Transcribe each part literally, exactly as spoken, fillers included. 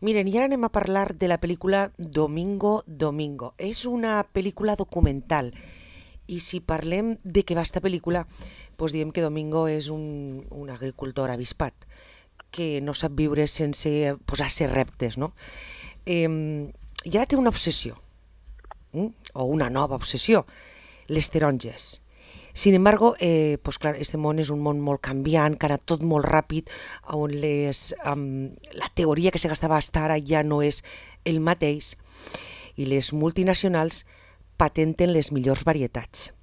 Miren, i ara anem a parlar de la pel·lícula Domingo, Domingo. És una pel·lícula documental i si parlem de què va esta pel·lícula, doncs diem que Domingo és un, un agricultor avispat que no sap viure sense posar-se reptes, no? Eh, I ara té una obsessió, eh? o una nova obsessió, les taronges. Sin embargo, eh, pues clar, este món és un món molt canviant, que ha anat tot molt ràpid, on les, um, la teoria que se gastava fins ara ja no és el mateix, i les multinacionals patenten les millors varietats.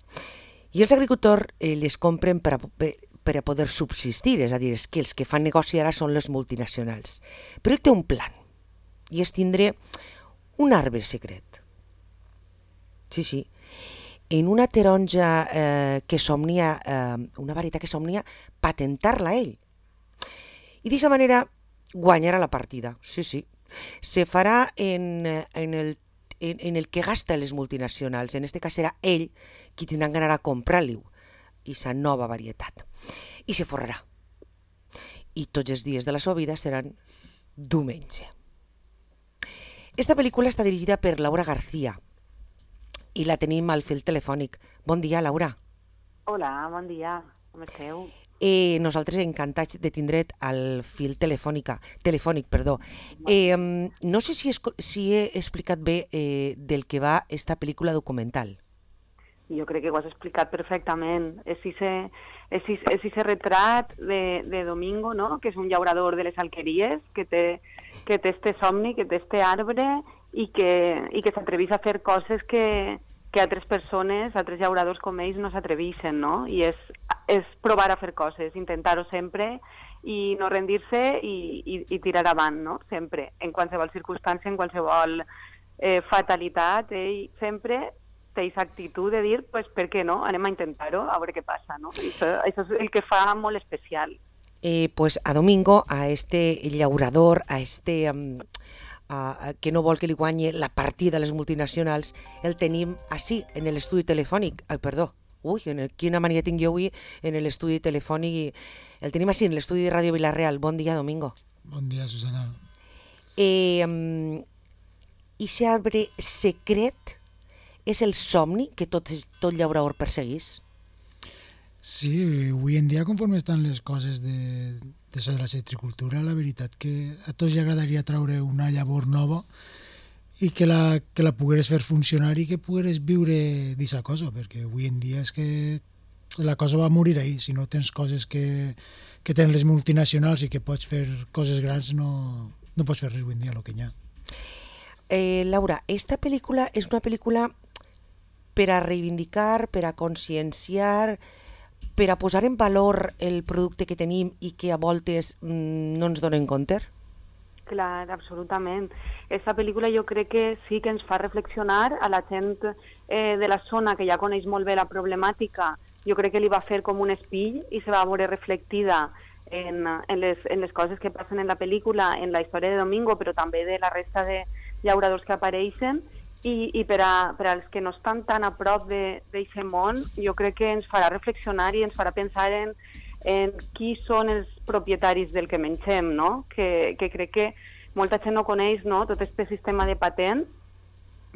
I els agricultors eh, les compren per a, per a poder subsistir, és a dir, és que els que fan negoci ara són les multinacionals. Però ell té un plan, i és tindre un arbre secret. Sí, sí. En una taronja eh, que somnia, eh, una varietat que somnia, patentar-la ell. I d'aquesta manera guanyarà la partida, sí, sí. Se farà en, en, el, en, en el que gasta les multinacionals. En este cas serà ell qui tindrà que anar a comprar-li aquesta nova varietat. I se forrarà. I tots els dies de la seva vida seran diumenge. Esta pel·lícula està dirigida per Laura García, i la tenim al fil telefònic. Bon dia, Laura. Hola, bon dia. Com esteu? Eh, nosaltres encantats de tindre't al fil telefònica, telefònic. Perdó. Eh, no sé si, es, si he explicat bé eh, del que va esta pel·lícula documental. Jo crec que ho has explicat perfectament. És ese retrat de, de Domingo, no? Que és un llaurador de les alqueries, que té, que té este somni, que té este arbre i que, i que s'atrevís a fer coses que, que altres persones, altres llauradors com ells no s'atreveixen, no? I és, és provar a fer coses, intentar-ho sempre i no rendir-se i, i, i tirar avant, no? Sempre, en qualsevol circumstància, en qualsevol eh, fatalitat, ell sempre té aquesta actitud de dir, pues, per què no? Anem a intentar-ho, a veure què passa, no? I això, això és el que fa molt especial. Eh, pues a Domingo, a este llaurador, a este... Um... Uh, que no vol que li guanyi la partida a les multinacionals, el tenim així, en l'estudi telefònic. Ai, perdó, ui, en el, quina mania tinc jo avui en l'estudi telefònic. El tenim així, en l'estudi de Ràdio Vilareal. Bon dia, Domingo. Bon dia, Susana. Eh, um, I aquest arbre secret és el somni que tot, tot llaurador perseguís? Sí, avui en dia, conforme estan les coses de, de, de la citricultura, la veritat que a tots li agradaria treure una llavor nova i que la, que la pogueres fer funcionar i que pogueres viure d'aquesta cosa, perquè avui en dia és que la cosa va morir ahí. Si no tens coses que, que tenen les multinacionals i que pots fer coses grans, no, no pots fer res avui en dia, el que hi ha. Eh, Laura, esta pel·lícula és una pel·lícula per a reivindicar, per a conscienciar, per a posar en valor el producte que tenim i que a voltes mmm, no ens donen compte? Clar, absolutament. Aquesta pel·lícula jo crec que sí que ens fa reflexionar a la gent eh, de la zona que ja coneix molt bé la problemàtica. Jo crec que li va fer com un espill i se va veure reflectida en, en, les, en les coses que passen en la pel·lícula, en la història de Domingo, però també de la resta de llauradors que apareixen. I, i per, a, per als que no estan tan a prop d'aquest món, jo crec que ens farà reflexionar i ens farà pensar en, en qui són els propietaris del que mengem, no? Que, que crec que molta gent no coneix, no? Tot aquest sistema de patent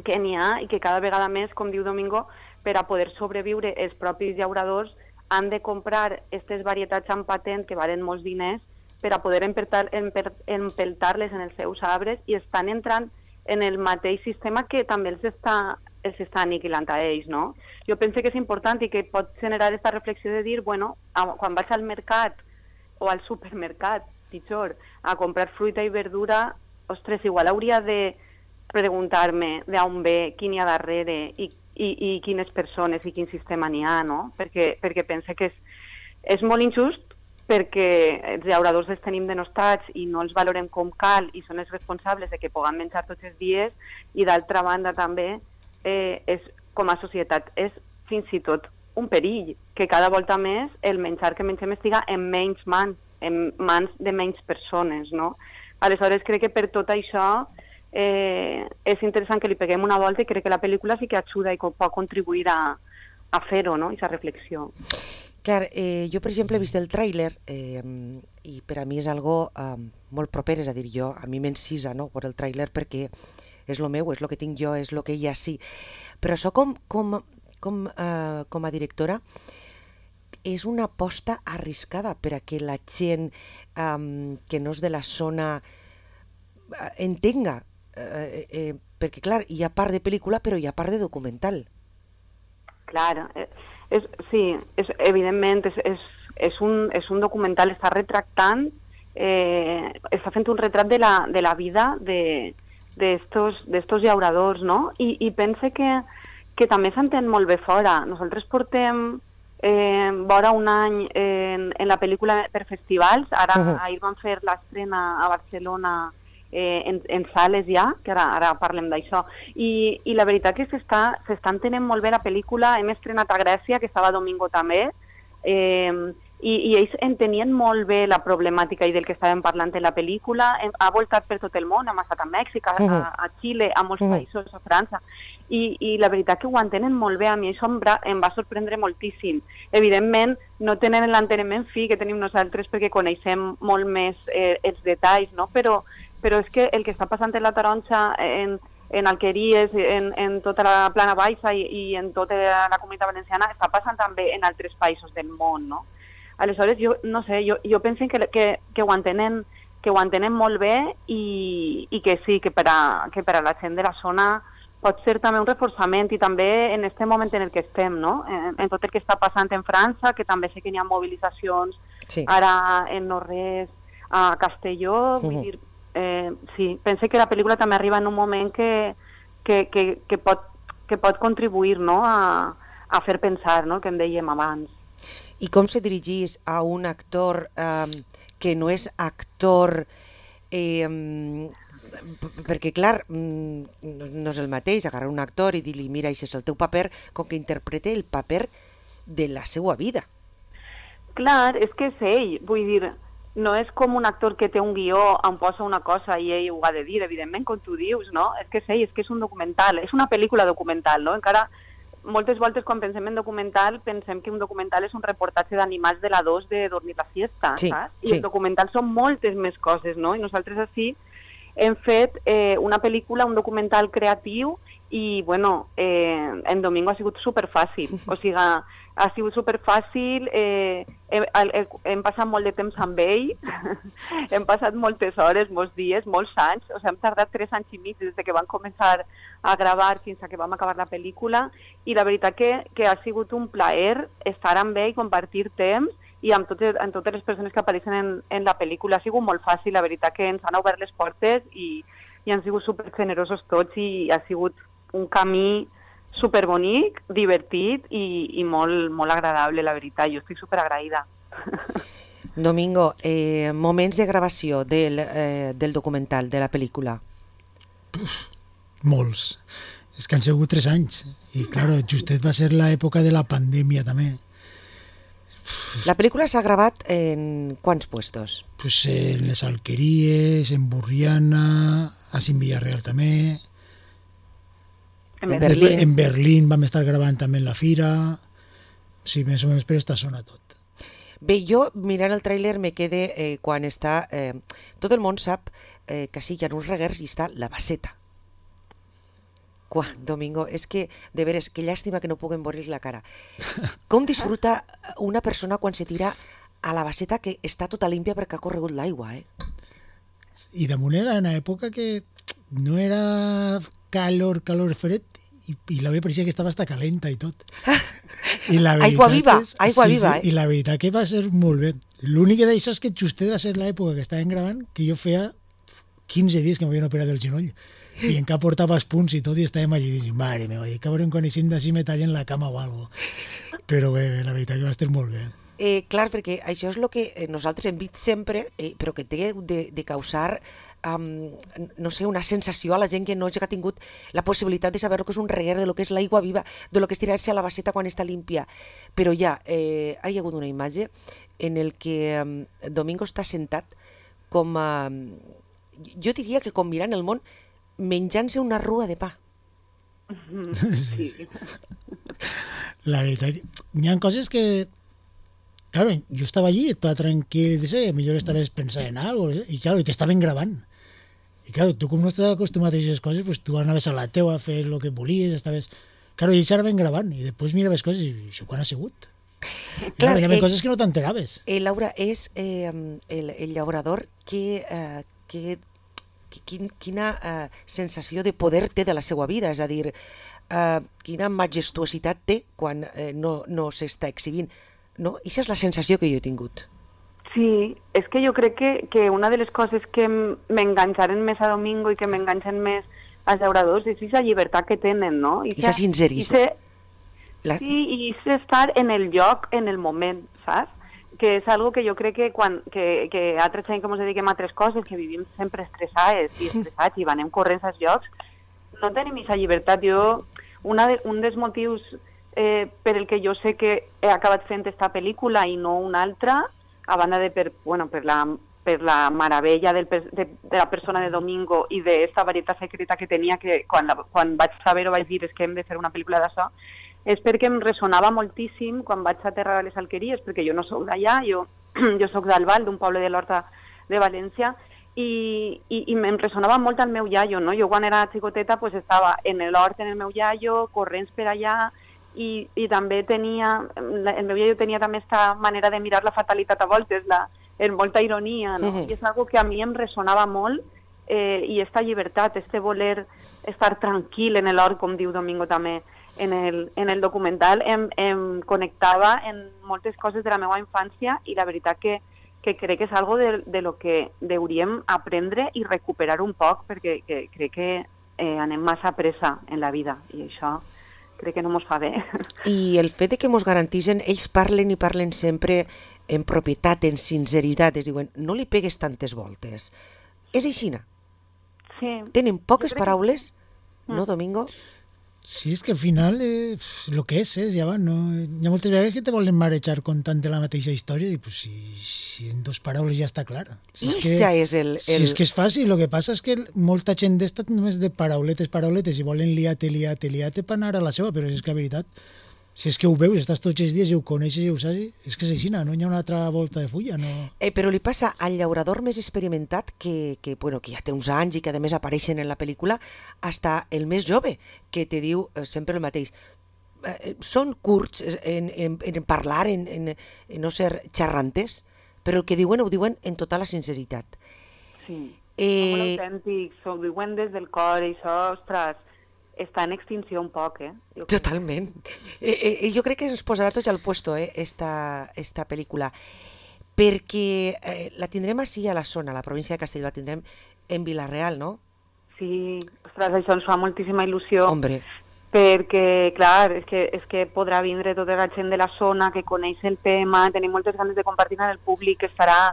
que n'hi ha i que cada vegada més, com diu Domingo, per a poder sobreviure els propis llauradors han de comprar aquestes varietats amb patent que valen molts diners per a poder empeltar-les en els seus arbres i estan entrant en el mateix sistema que també els està, els està aniquilant a ells, no? Jo penso que és important i que pot generar aquesta reflexió de dir, bueno, quan vaig al mercat o al supermercat, pitjor, a comprar fruita i verdura, ostres, igual hauria de preguntar-me d'on ve, quin hi ha darrere i, i, i quines persones i quin sistema n'hi ha, no? Perquè, perquè penso que és, és molt injust perquè els llauradors els tenim denostats i no els valorem com cal i són els responsables de que puguem menjar tots els dies i d'altra banda també eh, és, com a societat és fins i tot un perill que cada volta més el menjar que mengem estiga en menys mans, en mans de menys persones, no? Aleshores crec que per tot això eh, és interessant que li peguem una volta i crec que la pel·lícula sí que ajuda i pot contribuir a, a fer-ho, no? Aquesta reflexió. Clar, eh, jo, per exemple, he vist el tràiler eh, i per a mi és algo eh, molt proper, és a dir, jo, a mi m'encisa, no?, per el tràiler perquè és lo meu, és lo que tinc jo, és lo que ella sí. Però això com, com, com, eh, com a directora és una aposta arriscada per a que la gent eh, que no és de la zona eh, entenga, eh, eh, perquè, clar, hi ha part de pel·lícula però hi ha part de documental. Clar, eh, és, sí, és, evidentment és, és, és, un, és un documental, està retractant, eh, està fent un retrat de la, de la vida de d'estos d'estos llauradors, no? I, i pense que, que també s'entén molt bé fora. Nosaltres portem eh, vora un any en, en la pel·lícula per festivals, ara uh-huh. ahir van fer l'estrena a Barcelona Eh, en, en sales ja, que ara, ara parlem d'això, I, i la veritat que s'està s'està entenent molt bé la pel·lícula. Hem estrenat a Grècia, que estava domingo també, eh, i, i ells entenien molt bé la problemàtica i del que estàvem parlant en la pel·lícula. Hem, ha voltat per tot el món, hem estat a Mèxic, a, a, a Xile, a molts uh-huh. països, a França, i, i la veritat que ho entenen molt bé. A mi això em, em va sorprendre moltíssim. Evidentment, no tenen l'enteniment fi que tenim nosaltres perquè coneixem molt més eh, els detalls, no? Però però és que el que està passant en la Taronja, en, en Alqueries, en, en tota la Plana Baixa i, i en tota la Comunitat Valenciana, està passant també en altres països del món, no? Aleshores, jo no sé, jo, jo penso que, que, que, ho entenen, que ho entenen molt bé i, i que sí, que per, a, que per a la gent de la zona pot ser també un reforçament i també en aquest moment en el que estem, no? En, en tot el que està passant en França, que també sé que hi ha mobilitzacions, sí. Ara en no-res, a Castelló, uh-huh. vull dir, Eh, sí, pense que la pel·lícula també arriba en un moment que, que, que, que, pot, que pot contribuir, no?, a, a fer pensar, no?, que en dèiem abans. I com se dirigís a un actor eh, que no és actor, eh, perquè clar, no és el mateix agarrar un actor i dir-li, mira, això és el teu paper, com que interprete el paper de la seva vida. Clar, és que és ell, vull dir, no és com un actor que té un guió on posa una cosa i ell ho ha de dir, evidentment, com tu dius, no? És que és ell, és que és un documental, és una pel·lícula documental, no? Encara, moltes voltes quan pensem en documental, pensem que un documental és un reportatge d'animals de la dos de dormir la siesta, sí, saps? I sí. El documental són moltes més coses, no? I nosaltres així hem fet eh, una pel·lícula, un documental creatiu i, bueno, eh, en Domingo ha sigut superfàcil, o sigui, ha sigut superfàcil, eh, hem, hem passat molt de temps amb ell, hem passat moltes hores, molts dies, molts anys, o sigui, hem tardat tres anys i mig des que vam començar a gravar fins a que vam acabar la pel·lícula, i la veritat que, que ha sigut un plaer estar amb ell, compartir temps, i amb totes, amb totes les persones que apareixen en, en la pel·lícula. Ha sigut molt fàcil, la veritat que ens han obert les portes i, i han sigut supergenerosos tots i ha sigut un camí superbonic, divertit i, i molt, molt agradable, la veritat. Jo estic superagraïda. Domingo, eh, moments de gravació del, eh, del documental, de la pel·lícula? Uf, molts. És que han sigut tres anys. I, clar, justet va ser l'època de la pandèmia, també. La pel·lícula s'ha gravat en quants puestos? Pues en les Alqueries, en Burriana, a Sin Villarreal també. En Berlín. En Berlín vam estar gravant també en la fira. Sí, més o menys per esta zona tot. Bé, jo mirant el tràiler me quede eh, quan està... Eh, tot el món sap eh, que sí, hi ha uns reguers i està la baseta. Quan, Domingo, és que, de veres, que llàstima que no puguem veure la cara. Com disfruta una persona quan se tira a la baseta que està tota límpia perquè ha corregut l'aigua, eh? I damunt era una època que no era calor, calor fred, i, i la veia pareixia que estava hasta calenta i tot. I la aigua viva, és, aigua sí, viva, sí, eh? I la veritat que va ser molt bé. L'únic d'això és que justet va ser l'època que estàvem gravant, que jo feia quinze dies que m'havien operat el genoll. I encara portava els punts i tot i estàvem allí dient, mare meva, i acabarem coneixent d'ací me tallen la cama o alguna cosa. Però bé, bé, la veritat que va estar molt bé. Eh, clar, perquè això és el que nosaltres hem vist sempre, eh, però que té de, de causar, um, no sé, una sensació a la gent que no ha tingut la possibilitat de saber el que és un reguer, de lo que és l'aigua viva, de lo que és tirar-se a la baseta quan està límpia. Però ja, eh, hi ha hagut una imatge en el que um, Domingo està sentat com, uh, jo diria que com mirant el món, menjant-se una rua de pa. Sí. La veritat, hi ha coses que claro, yo estaba allí, estaba tranquilo, y dice, a millor esta vez pensar en algo, y claro, y te estaven grabant. I claro, tu com no estàs acostumat a aquestes coses, pues tu anaves a la teua a fer el que volies, estaves... Claro, i ells anaven gravant, i després miraves coses, i això quan ha sigut? I Clar, claro, hi havia eh, coses que no t'enteraves. Eh, Laura, és eh, el, el llaurador que, eh, que, que quin, quina eh, sensació de poder té de la seva vida, és a dir, eh, quina majestuositat té quan eh, no, no s'està exhibint. No? Aquesta és la sensació que jo he tingut. Sí, és que jo crec que, que una de les coses que m'enganxaren més a Domingo i que m'enganxen més als llauradors és aquesta llibertat que tenen, no? I aquesta sincerisme. La... Sí, i és estar en el lloc, en el moment, saps? Que és algo que jo crec que quan que, que altra gent que ens dediquem a altres coses, que vivim sempre estressades i estressats i anem corrents als llocs, no tenim aquesta llibertat. Jo, una de, un dels motius eh, per el que jo sé que he acabat fent aquesta pel·lícula i no una altra, a banda de per, bueno, per, la, per la meravella del, de, de la persona de Domingo i d'esta varietat secreta que tenia, que quan, la, quan vaig saber-ho vaig dir és que hem de fer una pel·lícula d'això, és perquè em ressonava moltíssim quan vaig aterrar a les Alqueries, perquè jo no soc d'allà, jo, jo soc d'Albal, d'un poble de l'Horta de València, i, i, i em ressonava molt al meu iaio, no? Jo quan era xicoteta pues, estava en l'hort en el meu iaio, corrents per allà, i, i també tenia, el meu iaio tenia també aquesta manera de mirar la fatalitat a voltes, la, en molta ironia, no? Uh-huh. I és algo que a mi em ressonava molt, eh, i esta llibertat, este voler estar tranquil en l'hort, com diu Domingo també, en el, en el documental, em, em connectava en moltes coses de la meva infància i la veritat que, que crec que és algo de, de lo que hauríem aprendre i recuperar un poc, perquè que, crec que eh, anem massa pressa en la vida i això crec que no mos fa bé. I el fet de que mos garanteixen, ells parlen i parlen sempre en propietat, en sinceritat, es diuen, no li pegues tantes voltes. És aixina. Sí. Tenen poques paraules, que... no, Domingo? Sí, és que al final eh, lo que és, és, ja va, no? Hi ha moltes vegades que te volen marejar contant de la mateixa història i pues, si, si en dos paraules ja està clara. Si és, que, és el, el... Si és que és fàcil, el que passa és que molta gent d'esta només de parauletes, parauletes i volen liar-te, liar-te, liar-te per anar a la seva, però és que la veritat, si és que ho veus, estàs tots els dies i ho coneixes i ho saps, és que és així, no hi ha una altra volta de fulla. No... Eh, però li passa al llaurador més experimentat, que, que, bueno, que ja té uns anys i que a més apareixen en la pel·lícula, hasta el més jove, que te diu eh, sempre el mateix. Eh, són curts en, en, en parlar, en, en, en no ser xerrantes, però el que diuen ho diuen en tota la sinceritat. Sí, eh... són molt autèntics, ho diuen des del cor i això, ostres, està en extinció un poc, eh? Jo Totalment. Eh, eh, jo crec que ens posarà tots al puesto, eh, esta, esta pel·lícula, perquè eh, la tindrem així a la zona, a la província de Castelló, la tindrem en Vila-real, no? Sí, ostres, això ens fa moltíssima il·lusió. Hombre. Perquè, clar, és que, és que podrà vindre tota la gent de la zona que coneix el tema, tenim moltes ganes de compartir amb el públic, que estarà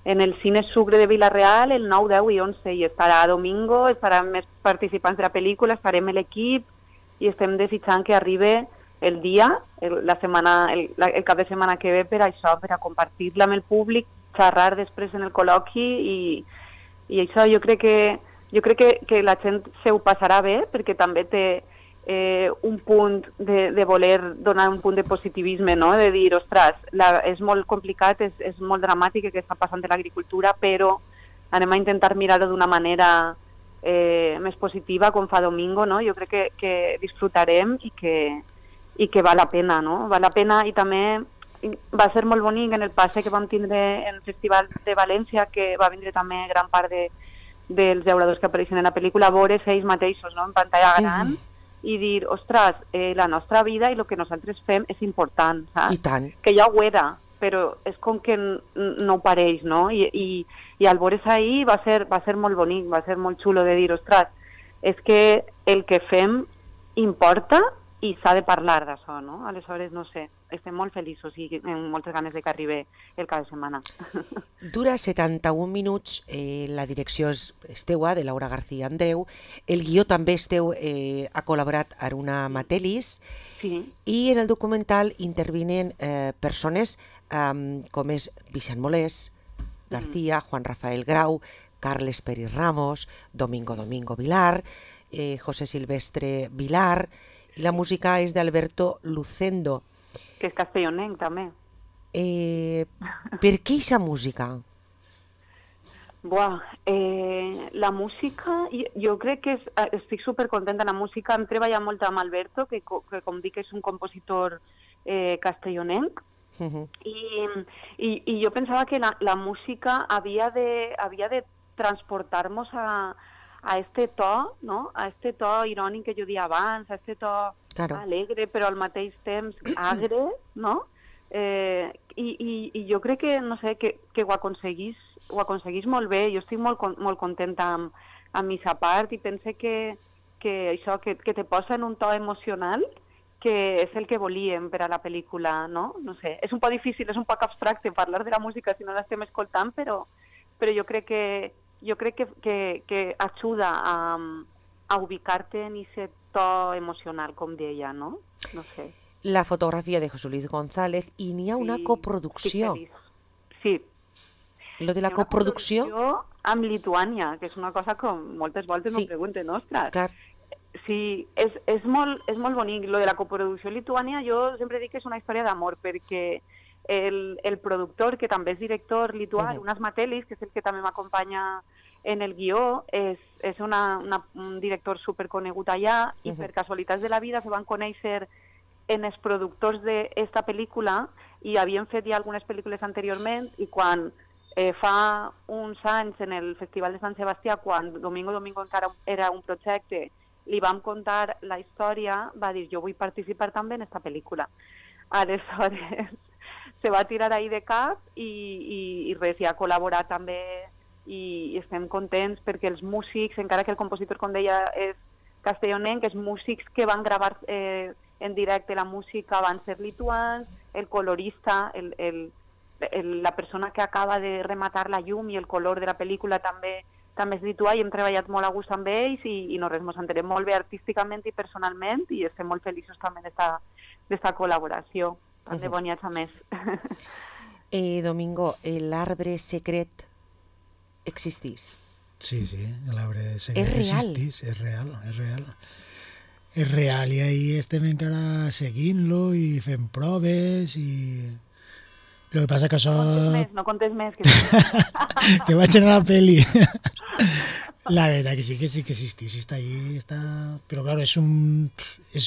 en el Cine Sucre de Vila-real el nou, deu i onze, i estarà Domingo, estaran més participants de la pel·lícula, estarem l'equip i estem desitjant que arribi el dia, el, la setmana, el, la, el cap de setmana que ve per això, per a compartir-la amb el públic, xerrar després en el col·loqui i, i això jo crec que, jo crec que, que la gent se ho passarà bé perquè també té Eh, un punt de, de voler donar un punt de positivisme, no? De dir, ostres, la, és molt complicat, és, és molt dramàtic el que està passant de l'agricultura, però anem a intentar mirar-ho d'una manera eh, més positiva, com fa Domingo, no? Jo crec que, que disfrutarem i que, i que val la pena, no? Val la pena i també va ser molt bonic en el passe que vam tindre en el Festival de València, que va vindre també gran part de, dels llauradors que apareixen en la pel·lícula, veure ells mateixos, no? En pantalla gran, mm-hmm. i dir, ostres, eh, la nostra vida i el que nosaltres fem és important, saps? I tant. Que ja ho era, però és com que no ho pareix, no? I, i, i al veure's ahir va ser, va ser molt bonic, va ser molt xulo de dir, ostres, és que el que fem importa i s'ha de parlar d'això, no? Aleshores, no sé, estem molt feliços i amb moltes ganes de que arribi el cap de setmana. Dura setanta-un minuts, eh, la direcció és, és teua, de Laura García Andreu, el guió també és teu, eh, ha col·laborat Aruna Matelis, sí. I en el documental intervinen eh, persones eh, com és Vicent Molés, García, mm. Juan Rafael Grau, Carles Peris Ramos, Domingo Domingo Vilar, eh, José Silvestre Vilar, i la música és d'Alberto Lucendo. Que és castellonenc, també. Eh, per què aquesta música? Buah, eh, la música, jo, jo crec que és, estic supercontenta. La música hem treballat molt amb Alberto, que, que com dic és un compositor eh, castellonenc, uh -huh. I, i, i jo pensava que la, la música havia de, havia de transportar-nos a, a este to, no? A este to irònic que jo dia abans, a este to claro. alegre, però al mateix temps agre, no? Eh, i, i, I jo crec que, no sé, que, que ho aconseguís ho aconseguís molt bé. Jo estic molt, molt contenta amb, amb aquesta part i pense que, que això, que, que te posa en un to emocional que és el que volíem per a la pel·lícula, no? No sé, és un poc difícil, és un poc abstracte parlar de la música si no l'estem escoltant, però, però jo crec que jo crec que, que, que ajuda a, a ubicar-te en aquest to emocional, com deia, no? No sé. La fotografia de José Luis González i n'hi ha una sí, coproducció. Sí. Lo de la coproducció... amb Lituània, que és una cosa que moltes voltes sí. no pregunten, ostres. Clar. Sí, és, és, molt, és molt bonic. Lo de la coproducció Lituània jo sempre dic que és una història d'amor, perquè el, el productor, que també és director lituà, uh-huh. Unas Matelis, que és el que també m'acompanya en el guió, és, és una, una, un director superconegut allà i uh-huh. per casualitats de la vida se van conèixer en els productors d'esta pel·lícula i havien fet ja algunes pel·lícules anteriorment i quan eh, fa uns anys en el Festival de Sant Sebastià, quan Domingo Domingo encara era un projecte, li vam contar la història, va dir jo vull participar també en esta pel·lícula. Aleshores se va tirar ahí de cap i, i, i res, ja ha col·laborat també i, i estem contents perquè els músics, encara que el compositor, com deia, és castellonenc, els músics que van gravar eh, en directe la música van ser lituans, el colorista, el, el, el, la persona que acaba de rematar la llum i el color de la pel·lícula també també és lituà i hem treballat molt a gust amb ells i, i no res, ens entenem molt bé artísticament i personalment i estem molt feliços també d'esta col·laboració, tant de boniats a més. Eh, Domingo, l'arbre secret existís? Sí, sí, l'arbre secret és real. existís, és real, és real. És real i ahí estem encara seguint-lo i fent proves i... El que passa que això... No contes més, no contes més. Que, que vaig anar a la peli. La veritat que sí, que sí que existís, sí està ahí, està... Però, clar, és un... És,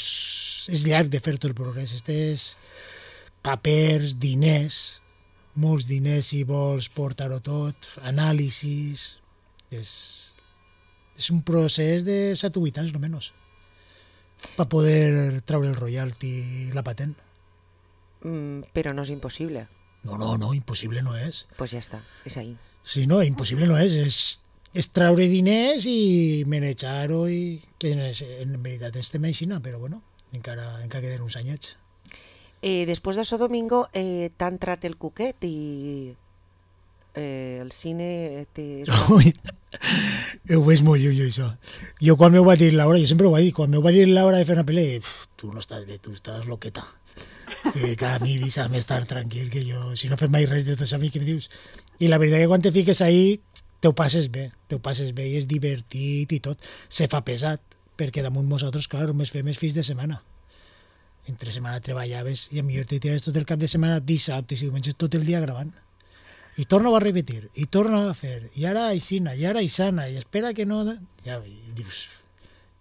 és llarg de fer tot el progrés. Estes papers, diners, molts diners si vols portar-ho tot, anàlisis... És, és un procés de set o vuit anys, no menys, per poder treure el royalty i la patent. Mm, però no és impossible. No, no, no, impossible no és. Pues ja està, és ahí. Sí, no, impossible no és, és, és treure diners i manejar-ho i que en, en veritat estem així, però bueno, encara, encara queden uns anyets. Eh, després d'això, Domingo, eh, t'ha entrat el cuquet i eh, el cine... Té... Ui, ho veig molt lluny, això. Jo quan m'ho va dir Laura, jo sempre ho vaig dir, quan m'ho va dir Laura de fer una pel·li, tu no estàs bé, tu estàs loqueta. Que a mi deixa'm estar tranquil, que jo, si no fem mai res de tot això, a mi què em dius? I la veritat que quan te fiques ahí, te ho passes bé, te ho passes bé i és divertit i tot. Se fa pesat, perquè damunt nosaltres, clar, només fem els fins de setmana. Entre setmana treballaves i a millor te tires tot el cap de setmana, dissabtes i diumenges, tot el dia gravant. I torna a repetir, i torna a fer, i ara aixina, i ara aixana, i espera que no... Ja, i dius...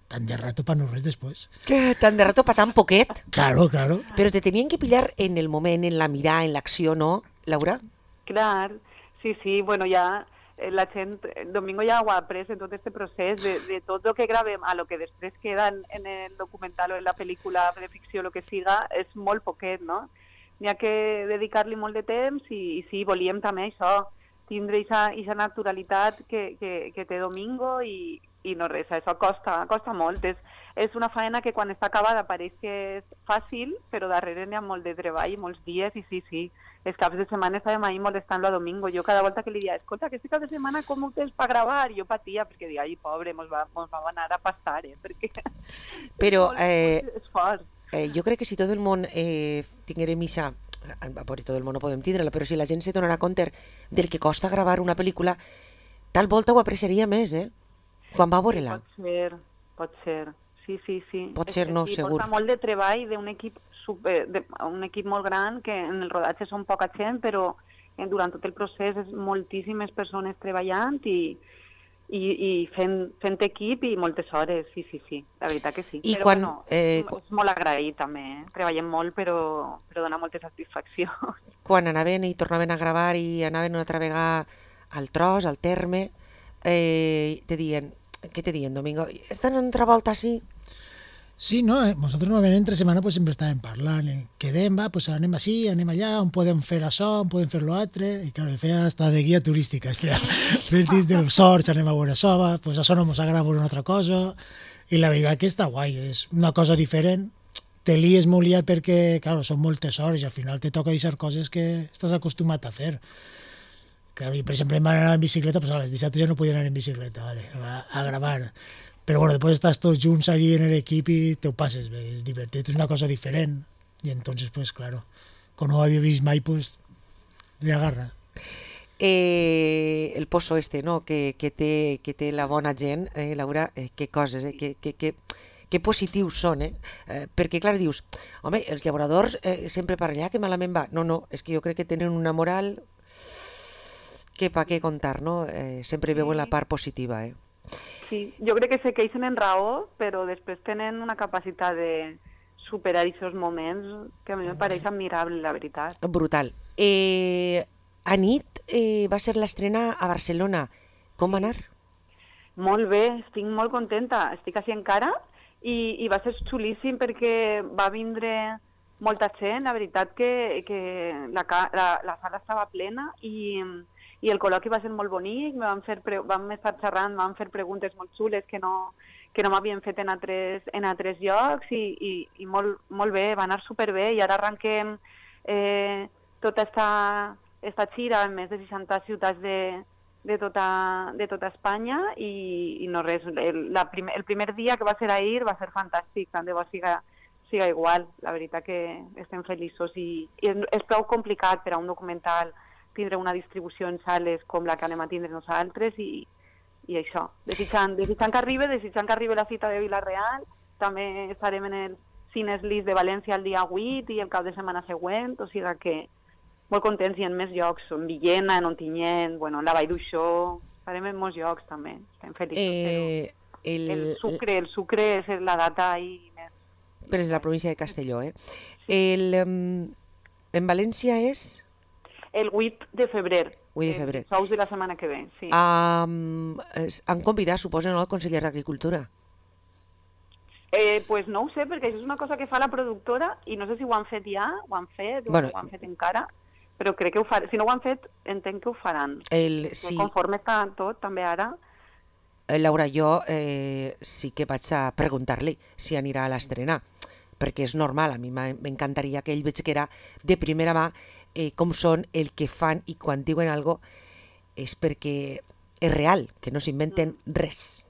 Tan de rato para no res después. ¿Qué? ¿Tan de rato para tan poquet? Claro, claro. Pero te tenían que pillar en el moment, en la mirada, en l'acció, ¿no, Laura? Clar, sí, sí, bueno, ja la gent, Domingo ja ho ha après en tot este procés de, de tot el que gravem a lo que després queda en, en el documental o en la pel·lícula de ficció, el que siga, és molt poquet, no? N'hi ha que dedicar-li molt de temps i, i sí, volíem també això, tindre aquesta naturalitat que, que, que té Domingo i, i no res, això costa, costa molt. És, és una faena que quan està acabada pareix que és fàcil, però darrere n'hi ha molt de treball, molts dies, i sí, sí, els caps de setmana estàvem ahí molestant-lo a Domingo. Jo cada volta que li dia, escolta, aquest cap de setmana com ho tens per gravar? Jo patia, perquè dic, ai, pobre, mos va, mos va anar a passar, eh? Perquè però, és molt, eh, molt esforç. Eh, jo crec que si tot el món eh, tinguérem missa, a veure, tot el món no podem tindre-la, però si la gent se donarà compte del que costa gravar una pel·lícula, tal volta ho apreciaria més, eh? Quan va veure-la. Pot ser, pot ser, sí, sí, sí. Pot ser, no, sí, segur. Porta molt de treball d'un equip super, de, un equip molt gran, que en el rodatge són poca gent, però eh, durant tot el procés és moltíssimes persones treballant i, i, i fent, fent equip i moltes hores, sí, sí, sí, la veritat que sí. I però quan, bueno, eh, és, és molt agraït també, eh? Treballem molt però, però dona molta satisfacció. Quan anaven i tornaven a gravar i anaven una altra vegada al tros, al terme, eh, te dient, què te dient, Domingo? Estan en otra volta així? Sí, no, eh, nosotros normalmente entre semana pues sempre estàvem parlant, eh, quedem, va, pues anem així, anem allà, on podem fer això, on podem fer l'altre, i clar, feia hasta de guia turística, feia fent dins dels sorts, anem a veure això, va, pues això no ens agrada veure una altra cosa, i la veritat que està guai, és una cosa diferent, te lies molt liat perquè, clar, són moltes hores i al final te toca deixar coses que estàs acostumat a fer. Clar, i, per exemple, vam anar en bicicleta, pues a les dissabtes ja no podien anar en bicicleta, vale, a, a gravar. Però bueno, després estàs tots junts allí en l'equip i te ho passes bé, és divertit, és una cosa diferent. I entonces, pues claro, com no ho havia vist mai, pues, de agarra. Eh, el pozo este, no?, que, que, té, que té la bona gent, eh, Laura, eh, que coses, eh, que, que, que, que positius són, eh? eh? Perquè, clar, dius, home, els llauradors eh, sempre parlen, ah, que malament va. No, no, és que jo crec que tenen una moral que pa què contar, no? Eh, sempre veuen la part positiva, eh? Sí, jo crec que se queixen en raó, però després tenen una capacitat de superar aquests moments que a mi em pareix admirable, la veritat. Brutal. Eh, a nit eh, va ser l'estrena a Barcelona. Com va anar? Molt bé, estic molt contenta. Estic així encara i, i va ser xulíssim perquè va vindre molta gent. La veritat que, que la, la, la sala estava plena i... i el col·loqui va ser molt bonic, vam, fer pre vam estar xerrant, vam fer preguntes molt xules que no, que no m'havien fet en altres, en altres llocs i, i, i molt, molt bé, va anar superbé i ara arranquem eh, tota esta, esta xira en més de seixanta ciutats de, de, tota, de tota Espanya i, i no res, el, la prim el primer dia que va ser ahir va ser fantàstic, tant de bo siga, siga igual, la veritat que estem feliços i, i és, és prou complicat per a un documental tindre una distribució en sales com la que anem a tindre nosaltres i, i això. Desitjant, desitjant que arribi, desitjant que arribi la cita de Vila-real, també estarem en el Cines Lis de València el dia vuit i el cap de setmana següent, o sigui que molt contents i en més llocs, en Villena, en Ontinyent, bueno, en la Vall d'Uixó, estarem en molts llocs també, estem feliços. Eh, el... el Sucre, el Sucre és la data ahí més... Però és de la província de Castelló, eh? El, um, en València és... El vuit de febrer. vuit de febrer. Els sous de la setmana que ve, sí. Um, han convidat, suposo, no, el conseller d'Agricultura? Eh, pues no ho sé, perquè això és una cosa que fa la productora i no sé si ho han fet ja, ho han fet, bueno, ho han fet encara, però crec que ho faran. Si no ho han fet, entenc que ho faran. El, sí. Conforme està tot, també ara... Laura, jo eh, sí que vaig a preguntar-li si anirà a l'estrena, perquè és normal, a mi m'encantaria que ell veig que era de primera mà eh, com són el que fan i quan diuen algo és perquè és real, que no s'inventen mm. res.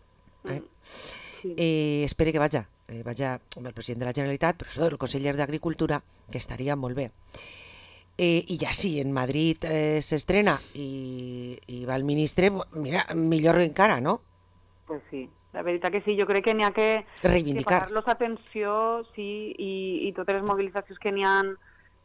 Eh? Mm. Sí. Eh, espero que vaja, eh, vaja amb el president de la Generalitat, però això el conseller d'Agricultura, que estaria molt bé. Eh, I ja sí, en Madrid eh, s'estrena i, i va el ministre, mira, millor encara, no? Pues sí, la veritat que sí, jo crec que n'hi ha que, que parar-los atenció, sí, i, i totes les mobilitzacions que n'hi ha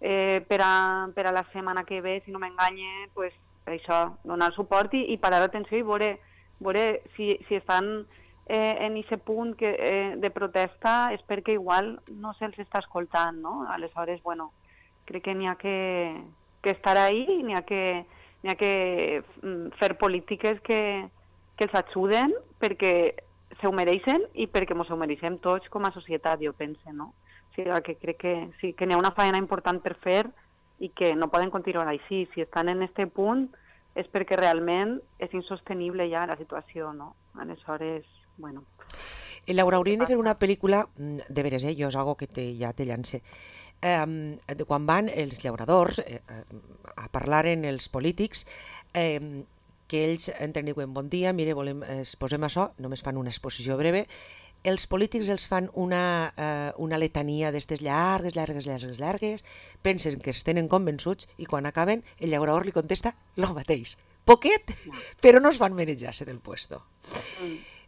eh, per, a, per a la setmana que ve, si no m'enganye, pues, això, donar suport i, i parar atenció i veure, veure si, si estan eh, en aquest punt que, eh, de protesta és perquè igual no se'ls està escoltant, no? Aleshores, bueno, crec que n'hi ha que, que estar ahí i n'hi ha que, n'hi ha que fer polítiques que, que els ajuden perquè se ho mereixen i perquè ens ho mereixem tots com a societat, jo penso, no? O sigui, que crec que sí, que n'hi ha una feina important per fer i que no poden continuar així. Si estan en aquest punt és perquè realment és insostenible ja la situació, no? Aleshores, bueno... Laura, hauríem de fer una pel·lícula, de veres, eh? Jo és algo que te, ja te llance, eh, de quan van els llauradors eh, a parlar en els polítics, eh, que ells entren i diuen bon dia, mire, volem, es posem això, només fan una exposició breve, els polítics els fan una, eh, una letania d'estes llargues, llargues, llargues, llargues, pensen que es tenen convençuts i quan acaben el llaurador li contesta lo mateix. Poquet, però no es van manejar-se del puesto.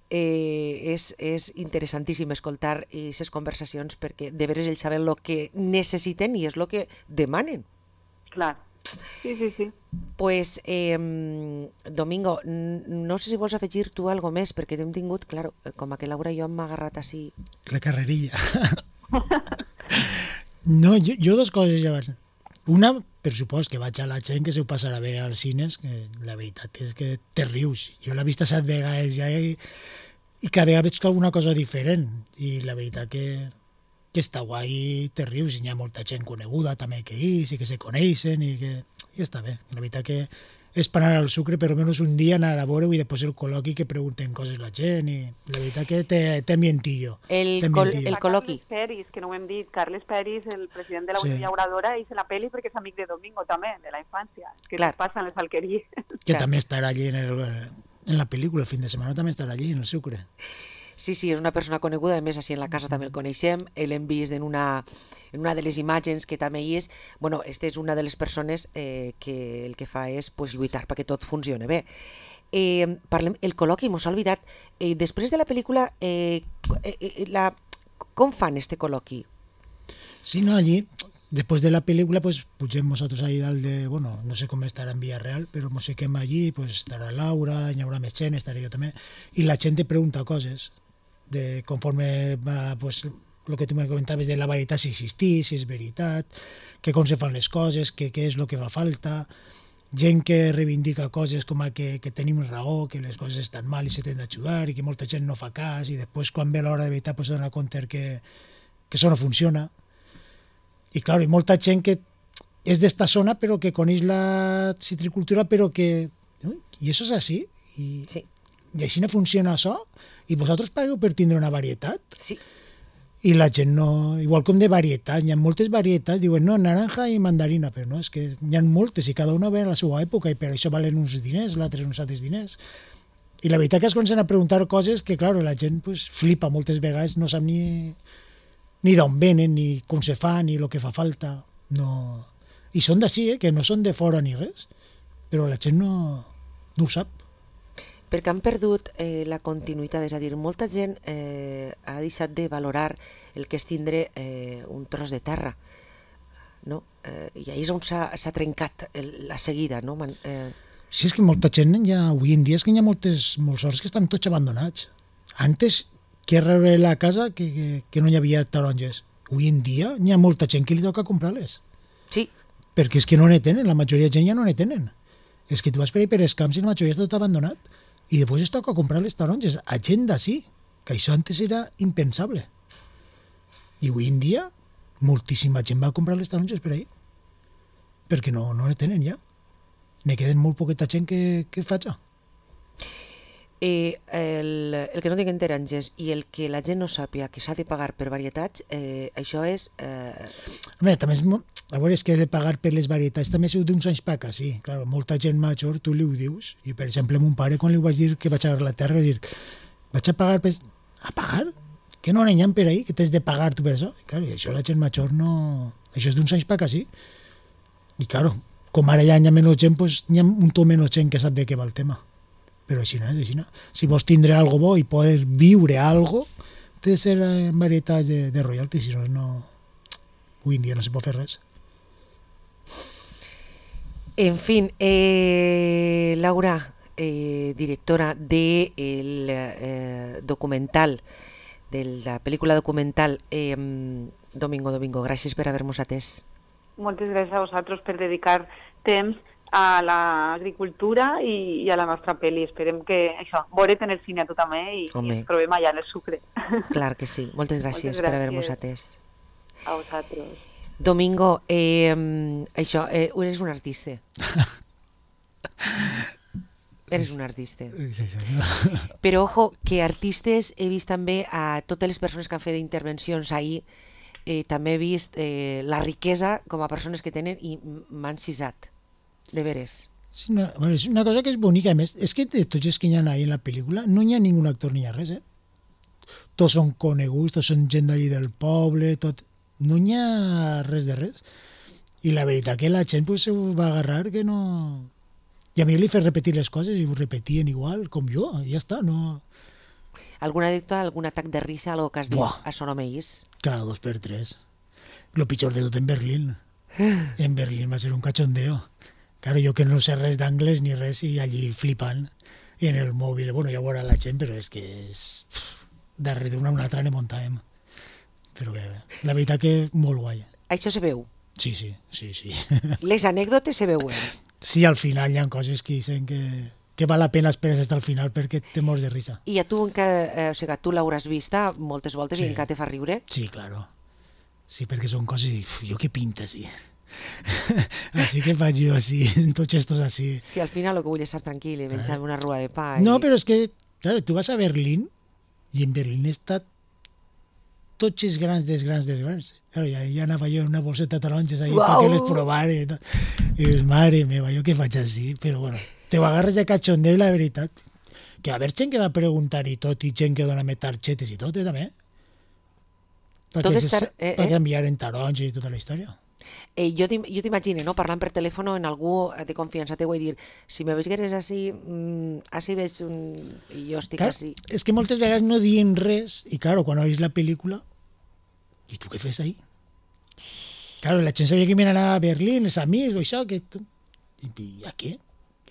eh, és, és interessantíssim escoltar aquestes conversacions perquè de veres ells saben el que necessiten i és el que demanen. Clar. Sí, sí, sí. Pues, eh, Domingo, no sé si vols afegir tu algo més, perquè t'hem tingut, clar, com que Laura i jo hem agarrat així... La carrerilla. No, jo, jo dos coses ja van. Una, per supòs que vaig a la gent que se ho passarà bé als cines, que la veritat és que te rius. Jo l'he vist set vegades ja i, i cada vegada veig alguna cosa diferent. I la veritat que... que està guai, te rius, i hi ha molta gent coneguda també que ells, i que se coneixen, i que i està bé. La veritat que és per anar al sucre, però almenys un dia anar a veure-ho i després el col·loqui que pregunten coses la gent, i la veritat que té, té ambientillo. El, té col, ambientillo. el col·loqui. Carles Peris, que no ho hem dit, Carles Peris, el president de la Sí. Unió Llauradora, és en la pel·li perquè és amic de Domingo també, de la infància, que Clar. Clar. passen les alqueries. Que Clar. també estarà allí en, el, en la pel·lícula, el fin de setmana també estarà allí, en el sucre. Sí, sí, és una persona coneguda, a més, així en la casa també el coneixem, l'hem vist en una, en una de les imatges que també hi és. Bueno, esta és una de les persones eh, que el que fa és pues, lluitar perquè tot funcioni bé. Eh, parlem, el col·loqui, mos ha oblidat, eh, després de la pel·lícula, eh, eh, la, com fan este col·loqui? Sí, no, allí, después de la película, pues pugem nosotros ahí dalt de, bueno, no sé com estarà en Villarreal, però mos fiquem allí, pues estarà Laura, hi haurà més gent, estaré jo també, i la gent te pregunta coses, de conforme va, pues, lo que tu me comentaves de la veritat, si existís, si és veritat, que com se fan les coses, que què és el que fa falta, gent que reivindica coses com a que, que tenim raó, que les coses estan mal i se tenen d'ajudar, i que molta gent no fa cas, i després quan ve l'hora de veritat pues, se dona compte que, que això no funciona. I clar, hi ha molta gent que és d'esta zona però que coneix la citricultura però que... I això és així? I, Sí. I així no funciona això? I vosaltres pagueu per tindre una varietat? Sí. I la gent no... Igual com de varietats, hi ha moltes varietats, diuen no, naranja i mandarina, però no, és que hi ha moltes i cada una ve a la seva època i per això valen uns diners, l'altre uns altres diners. I la veritat que es comencen a preguntar coses que, clar, la gent pues, flipa moltes vegades, no sap ni, ni d'on venen, ni com se fa, ni el que fa falta. No... I són d'ací, eh, que no són de fora ni res, però la gent no, no ho sap. Perquè han perdut eh, la continuïtat, és a dir, molta gent eh, ha deixat de valorar el que és tindre eh, un tros de terra, no? Eh, I ahir és on s'ha s'ha trencat el, la seguida, no? Man, eh, Sí, és que molta gent, ja, avui en dia és que hi ha moltes, molts horts que estan tots abandonats. Antes, que era la casa que, que, que no hi havia taronges. Avui en dia hi ha molta gent que li toca comprar-les. sí, Perquè és que no ne tenen, la majoria de gent ja no ne tenen. És que tu vas per ahí per els camps i la majoria està tot abandonat. I després es toca comprar les taronges a gent d'ací, que això antes era impensable. I avui en dia moltíssima gent va comprar les taronges per ahí, perquè no, no ne tenen ja. Ne queden molt poqueta gent que, que faig. eh, el, el que no tinguen taronges i el que la gent no sàpia que s'ha de pagar per varietats, eh, això és... Eh, Home, també és... mo- A veure, és que he de pagar per les varietats també és d'uns anys per acá, sí. Clar, molta gent major, tu li ho dius. I, per exemple, a mon pare, quan li vaig dir que vaig a la terra, vaig dir, vaig a pagar per... A pagar? Que no n'hi ha per ahí, que t'has de pagar tu per això? I, clar, i això la gent major no... Això és d'uns anys per acá, sí. I, clar, com ara ja hi ha menys gent, doncs hi ha un to menys gent que sap de què va el tema. Però així no, és així no. Si vols tindre algo bo i poder viure algo, té de ser en varietats de, de royalty, si no, no... Avui en dia no se pot fer res. En fin, eh, Laura, eh, directora del eh, documental, de la pel·lícula documental eh, Domingo, Domingo, gràcies per haver-nos atès. Moltes gràcies a vosaltres per dedicar temps a l'agricultura i, i a la nostra pel·li. Esperem que això, veure't en el cine a tu també i, i ens trobem allà en el sucre. Clar que sí. Moltes gràcies, Moltes per haver-nos gràcies. atès. A vosaltres. Domingo, eh, això, eh, eres un artista. Eres un artista. Però, ojo, que artistes he vist també a totes les persones que han fet intervencions ahir, eh, també he vist eh, la riquesa com a persones que tenen i m'han cisat, de veres. És una, bueno, és una cosa que és bonica. A més, és que de tots els que hi ha ahí en la pel·lícula no hi ha ningú actor ni hi ha res, eh? Tots són coneguts, tots són gent d'allí del poble, tot... No hi ha res de res. I la veritat que la gent pues, se ho va agarrar que no... I a mi li fes repetir les coses i ho repetien igual, com jo, i ja està. No, Alguna anècdota, algun atac de risa, algo que has dit, Buah. això no m'eix? Cada dos per tres. Lo pitjor de tot en Berlín. En Berlín va ser un cachondeo. Claro, jo que no sé res d'anglès ni res i allí flipant. I en el mòbil, bueno, ja veurà la gent, però és que és... Uf, darrere d'una una altra ne muntàvem. Però bé, bé, la veritat que molt guai. Això se veu. Sí, sí, sí, sí. Les anècdotes se veuen. Sí, al final hi ha coses que dicen que, que val la pena esperar fins al final perquè te mors de risa. I a tu, que, eh, o sigui, tu l'hauràs vista moltes voltes Sí. i encara te fa riure? Sí, claro. Sí, perquè són coses i uf, jo què pinta, sí. Així que faig jo així, tots estos així. Si al final el que vull és estar tranquil i menjar una rua de pa. No, i... però és que, claro, tu vas a Berlín i en Berlín està tots els grans dels grans dels grans. Claro, ja, ja anava jo en una bolseta de taronges ahí Uau! perquè les provare i tot. I dius, mare meva, jo què faig així? Però bueno, te ho agarres de cachondeo i la veritat. Que va haver gent que va preguntar i tot, i gent que dona-me targetes i tot, eh, també. Tot Perquè, estar- se, eh, perquè eh. enviaren taronges i tota la història. Eh, jo t'im- jo t'imagino, no?, parlant per telèfon en algú de confiança teu i dir, si me veigueres així, mm, així veig un... i jo estic Clar, així. és que moltes vegades no diuen res i claro, quan veus la pel·lícula i tu què fes ahí? Claro, la gent sabia que me anava a Berlín, els amics o això, que tu... I, i a què?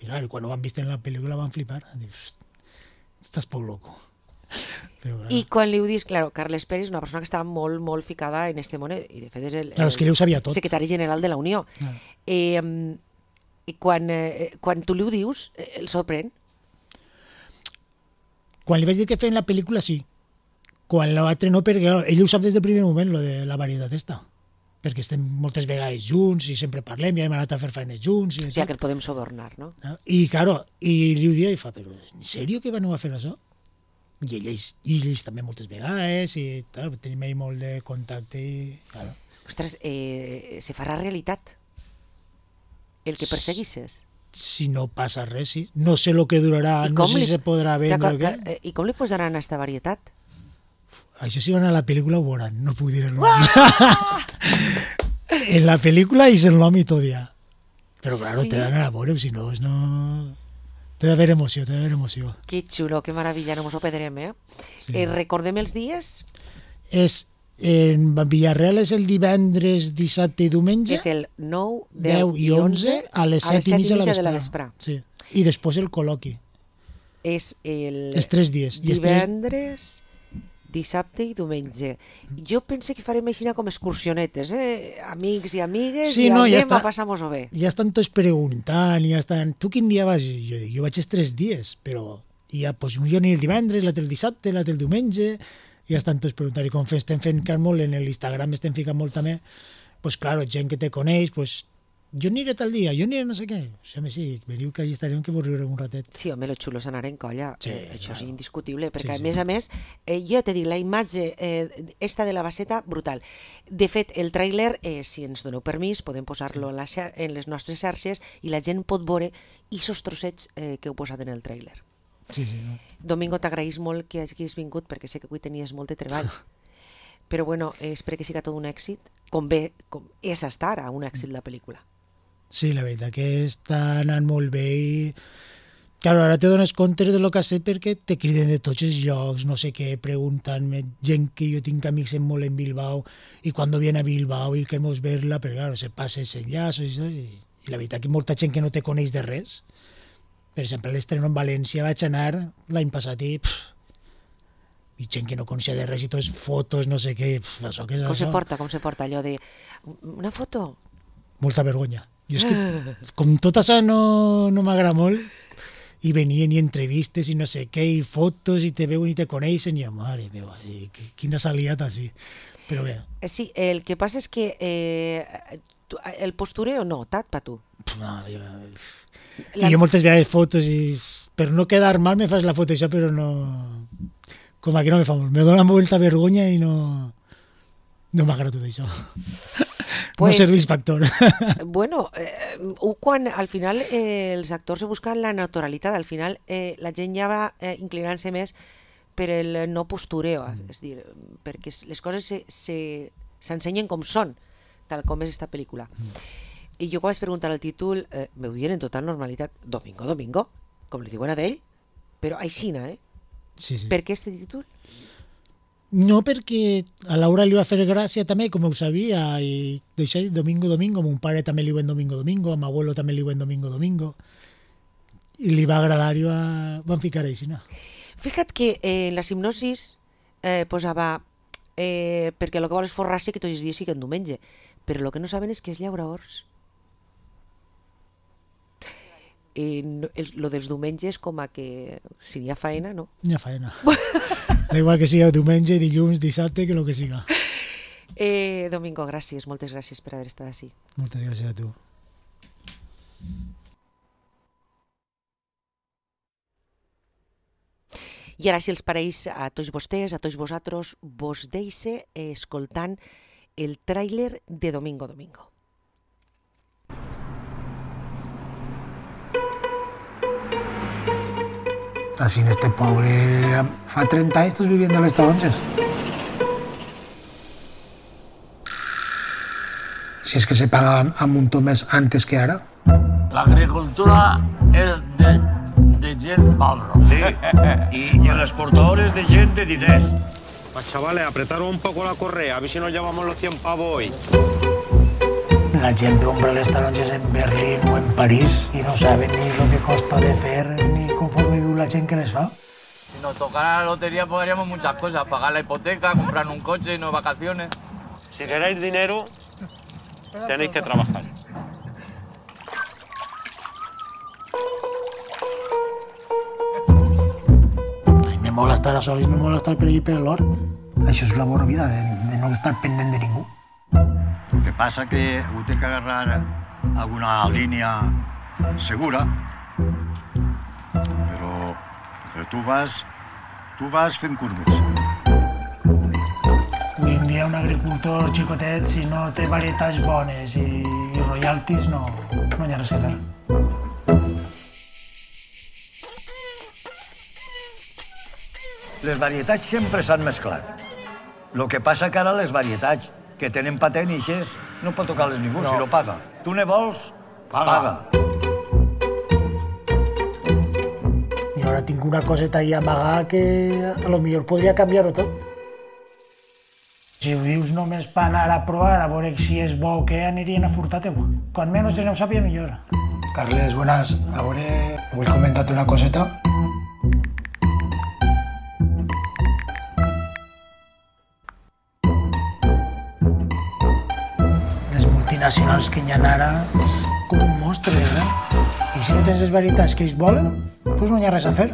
I claro, quan ho van vist en la pel·lícula van flipar. Dius, estàs poc loco. Però, claro, I quan li ho dius, claro, Carles Pérez és una persona que estava molt, molt ficada en este món i de fet és el, claro, és que ell ho sabia tot. secretari general de la Unió. Claro. Eh, mm, I quan, eh, quan tu li ho dius, eh, el sorprèn? Quan li vaig dir que feien la pel·lícula, sí. Quan l'altre no, perquè claro, ell ho sap des del primer moment, lo de la varietat esta. Perquè estem moltes vegades junts i sempre parlem, ja hem anat a fer feines junts. I O sigui, que el podem sobornar, no? I, claro, i li ho dia i fa, però en sèrio que veneu a fer això? I ells, i ells també moltes vegades, i tal, tenim ahí molt de contacte i... Claro. Ostres, eh, se farà realitat el que perseguisses. Si no passa res, sí. No sé el que durarà, I no com sé li- si se podrà vendre o D'acord, què. eh, I com li posaran a esta varietat? Això si van a la pel·lícula ho veuran, no puc dir el nom. En la pel·lícula és el nom i tot ja. Però claro, Sí. te dan a veure, si no, no... Té d'haver emoció, té d'haver emoció. Que xulo, que meravella, no mos ho perdrem, eh? Sí. eh recordem els dies? És, en Villarreal és el divendres, dissabte i diumenge, És el nou, deu deu i onze, a les set i mitja de la vespre. Sí. I després el col·loqui. És el Els tres dies. I els tres... divendres, dissabte i diumenge. Jo pense que farem així com excursionetes, eh? Amics i amigues, Sí, i no, ja anem està. a passar-nos-ho bé. Ja estan tots preguntant, ja estan... Tu quin dia vas? I jo dic, jo vaig els tres dies, però ja, pues, jo ni el divendres, l'altre el dissabte, l'altre el diumenge, ja estan tots preguntant. I com fem, estem fent que molt en l'Instagram, estem ficant molt també, pues claro, gent que te coneix, pues jo aniré tal dia, jo aniré no sé què. Sí, home, sí, veniu que allà estarem que vos riurem un ratet. Sí, home, lo xulo és anar en colla. Sí, eh, això claro. és indiscutible, perquè Sí, a sí. més a més, eh, jo te dic, la imatge eh, esta de la baseta, brutal. De fet, el tràiler, eh, si ens doneu permís, podem posar-lo en, la xar- en les nostres xarxes i la gent pot veure aquests trossets eh, que heu posat en el tràiler. Sí, sí, no? Domingo, t'agraïs molt que hagis vingut, perquè sé que avui tenies molt de treball. Però bueno, eh, espero que siga tot un èxit, com bé, com és hasta ara un èxit la pel·lícula. Sí, la veritat que està anant molt bé i... Claro, ara te dones compte de lo que has fet perquè te criden de tots els llocs, no sé què, preguntant-me, gent que jo tinc amics en molt en Bilbao i quan viene a Bilbao i queremos verla, però claro, se passa els enllaços i tot, i, i la veritat que molta gent que no te coneix de res. Per exemple, a l'estreno en València vaig anar l'any passat i... Pff, i gent que no coneixia de res i tots fotos, no sé què, pff, això què és Com això? se porta, com se porta allò de... Una foto? Molta vergonya. Jo és que, com tot això no, no m'agrada molt, i venien i entrevistes i no sé què, i fotos, i te veuen i te coneixen, i jo, mare meva, i qui- quina saliat així. Però bé, Eh, Sí, el que passa és que eh, tu- el postureo no, tat pa tu. pf, no, jo, La- i jo moltes vegades fotos i per no quedar mal me fas la foto això, però no... Com aquí no me fa molt. Me dona molta vergonya i no... No m'agrada tot això. Pues- no serveix factor. Bueno, eh, ho quan al final eh, els actors se busquen la naturalitat, al final eh, la gent ja va eh, inclinant-se més per el no postureo, mm. és dir, perquè les coses se, se, s'ensenyen com són, tal com és esta pel·lícula. Mm. I jo quan vaig preguntar el títol, eh, m'ho dient en total normalitat, Domingo, Domingo, com li diuen a d'ell, però aixina, eh? Sí, sí. Per què este títol? No, perquè a Laura li va fer gràcia també, com ho sabia, i d'això, Domingo, Domingo, mon pare també li diuen Domingo, Domingo, a mon abuelo també li diuen Domingo, Domingo, i li va agradar i va, van ficar així, no? Fija't que eh, en la hipnosis eh, posava eh, perquè el que vol és forrar-se que tots els dies siguen diumenge, però el que no saben és que és llaura horts. Eh, no, el, lo dels diumenges com a que si n'hi ha faena, no? N'hi ha faena. Da igual que siga diumenge, dilluns, dissabte, que el que siga. Eh, Domingo, gràcies, moltes gràcies per haver estat així. Moltes gràcies a tu. I ara, si els pareix a tots vostès, a tots vosaltres, vos deixe escoltant el tràiler de Domingo, Domingo. Así en este poble fa trenta anys estàs vivint a les taronges. Si és que se paga a muntó més antes que ara. La agricultura es de, de gent pobra. Sí, y, y el exportador es de gente de diners. Pues chavales, apretaron un poco la correa, a ver si nos llevamos los cien pavos hoy. La gent compra les taronges en Berlín o en París i no saben ni lo que costa de fer ni conforme viu la gent que les fa. Si nos tocara la lotería podríamos muchas cosas, pagar la hipoteca, comprar un coche y no vacaciones. Si queréis dinero, tenéis que trabajar. Ai, me mola estar a solis, me mola estar per allí per l'hort. Això és la bona vida, de, de no estar pendent de ningú. Lo que pasa que usted tiene que agarrar alguna línea segura, pero, pero tú vas, tú vas fent curves. Avui en dia un agricultor xicotet, si no té varietats bones i, i royalties, no, no hi ha res a fer. Les varietats sempre s'han mesclat. Lo que passa que ara les varietats que tenen patent i així no pot tocar-les ningú, no. Si lo paga. Tu ne vols? Paga. paga. I ara tinc una coseta ahí amagar que a lo millor podria canviar-ho tot. Si ho dius només per anar a provar, a veure si és bo o què, anirien a furtar-te-ho. Quan menys no ho sàpiga, millor. Carles, buenas. A veure, vull comentar-te una coseta. Nacionals que hi ha ara és com un monstre, eh? I si no tens les varietats que ells volen, doncs no hi ha res a fer.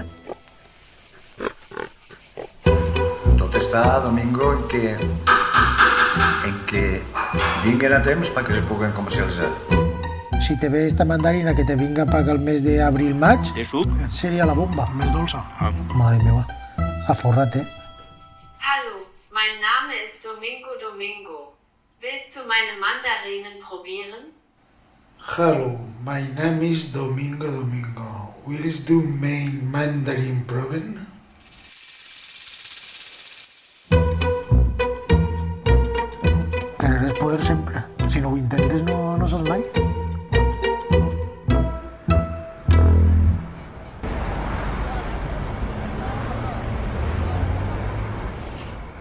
Tot està, Domingo, en que, en que vinguen a temps perquè se puguen comercialitzar. Si te ve esta mandarina que te vinga a pagar el mes d'abril-maig, seria la bomba. Més dolça. Mare meva, aforra't, eh? Hallo, mein Name ist Domingo Domingo. Willst du meine Mandarinen probieren? Hello, my name is Domingo Domingo. Willst du mein Mandarin proben?